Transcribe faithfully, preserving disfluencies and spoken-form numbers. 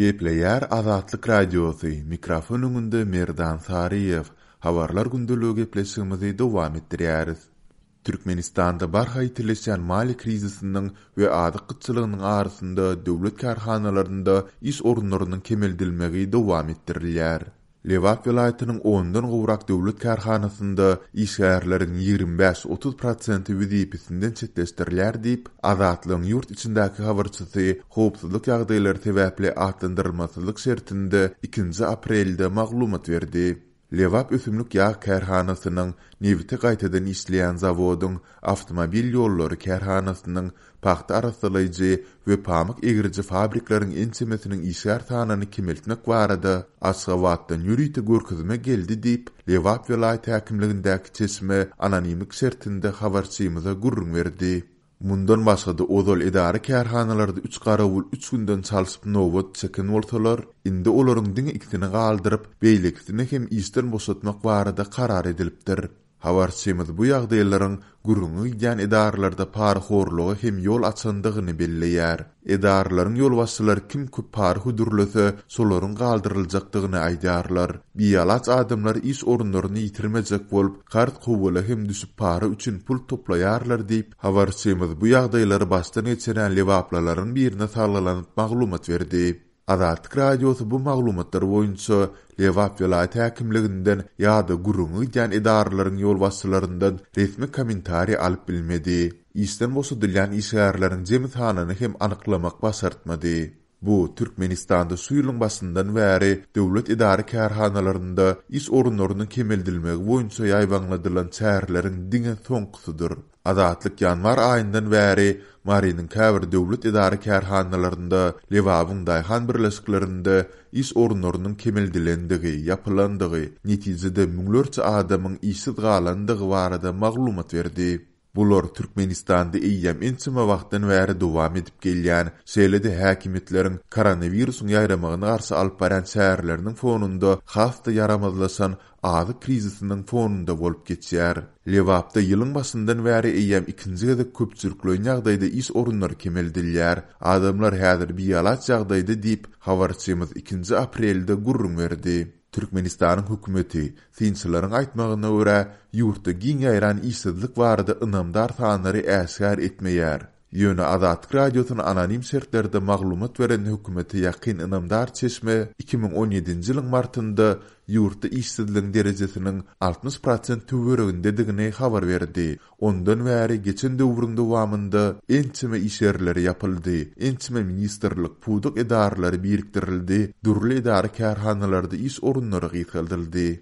Gepleýär Azatlyk Radiosy, mikrofon öňünde Merdan Saryýew. Habarlar gündeligi gepleşigimizi dowam etdirýäris. Türkmenistanda barha ýitileşýän maliýe krizisiniň we azyk gytçylygynyň arasynda döwlet kärhanalarynda iş orunlarynyň kemeldilmegi dowam etdirilýär. Lebap welaýatynyň ondan gowrak döwlet kärhanasynda işgärleriň ýigrimi bäş-otuz prosenti wezipesinden çetleşdirilýär diýip, Azatlygyň ýurt içindäki habarçysy howpsuzlyk ýagdaýlary sebäpli atlandyrylmasyzlyk şertinde ikinji aprelde maglumat berdi. Lebap ösümlik ýag kärhanasynyň, nebiti gaýtadan işleýän zawodyň, awtomobil ýollary kärhanasynyň, pagta arassalaýjy we pamyk egriji fabrikleriň ençemesiniň işgär sanyny kemeltmek barada Aşgabatdan ýörite görkezme geldi diýip, Lebap welaýat häkimligindäki çeşme anonimlik şertinde habarçymyza gürrüň berdi. Mundan başga-da ozal edara kärhanalarda üç garawul üç günden çalşyp nobat çeken bolsalar, indi olaryň diňe ikisini galdyryp, beýlekisini hem işden boşatmak barada karar edilipdir. Habarçymyz bu ýagdaýlaryň gürrüňi gidýän edaralarda parahorluga hem ýol açandygyny belleýär. Edaralaryň ýolbaşçylary kim köp para hödürlese, şolaryň galdyryljakdygyny aýdýarlar. Bialaç adamlar iş orunlaryny ýitirmejek bolup, karz kowala hem düşüp para üçin pul toplaýarlar diýip, habarçymyz bu ýagdaýlary başdan geçiren lebaplylaryň birine salgylanyp maglumat berdi. Azatlyk Radiosy bu maglumatlar boýunça Lebap welaýat häkimliginden ýa-da gürrüňi gidýän edaralaryň ýolbaşçylaryndan resmi kommentariý alyp bilmedi. Işden boşadylýan işgärleriň jemi sanyny hem anyklamak başartmady. Bu Türkmenistanda şu ýylyň başyndan bäri döwlet edara kärhanalarynda iş orunlarynyň kemeldilmegi boýunça ýaýbaňladylan çäreleriň diňe soňkusydyr. Azatlyk ýanwar aýyndan bäri Marynyň käbir döwlet edara kärhanalarynda, Lebabyň daýhan birleşiklerinde iş orunlarynyň kemeldilendigi, ýapylandygy, netijede müňlerçe adamyň işsiz galandygy barada maglumat berdi. Bular Türkmenistanda eýýäm ençeme wagtdan bäri dowam edip gelýän, şeýle-de häkimiýetleriň koronawirusyň ýaýramagyna garşy alyp barýan çäreleriniň fonunda has-da ýaramazlaşan azyk krizisiniň fonunda bolup geçýär. Lebapda ýylyň başyndan bäri eýýäm ikinji gezek köpçülikleýin ýagdaýda iş orunlary kemeldilýär. Adamlar häzir bialaç ýagdaýda diýip, habarçymyz ikinji aprelde gürrüň berdi. Türkmenistanyň hökümeti, synçylaryň aýtmagyna görä, ýurtda giň ýaýran işsizlik barada ynamdar sanlary äşgär etmeýär. Ýöne Azatlyk Radiosyna anonim şertlerde maglumat beren hökümete ýakyn ynamdar çeşme iki müň on ýedinji ýylyň martynda ýurtda işsizligiň derejesiniň altmyş prosent töweregindedigini habar berdi. Ondan bäri geçen döwrüň dowamynda ençeme iş ýerleri ýapyldy, ençeme ministrlik, pudak edaralary birikdirildi, dürli edara kärhanalarda iş orunlary gysgaldyldy.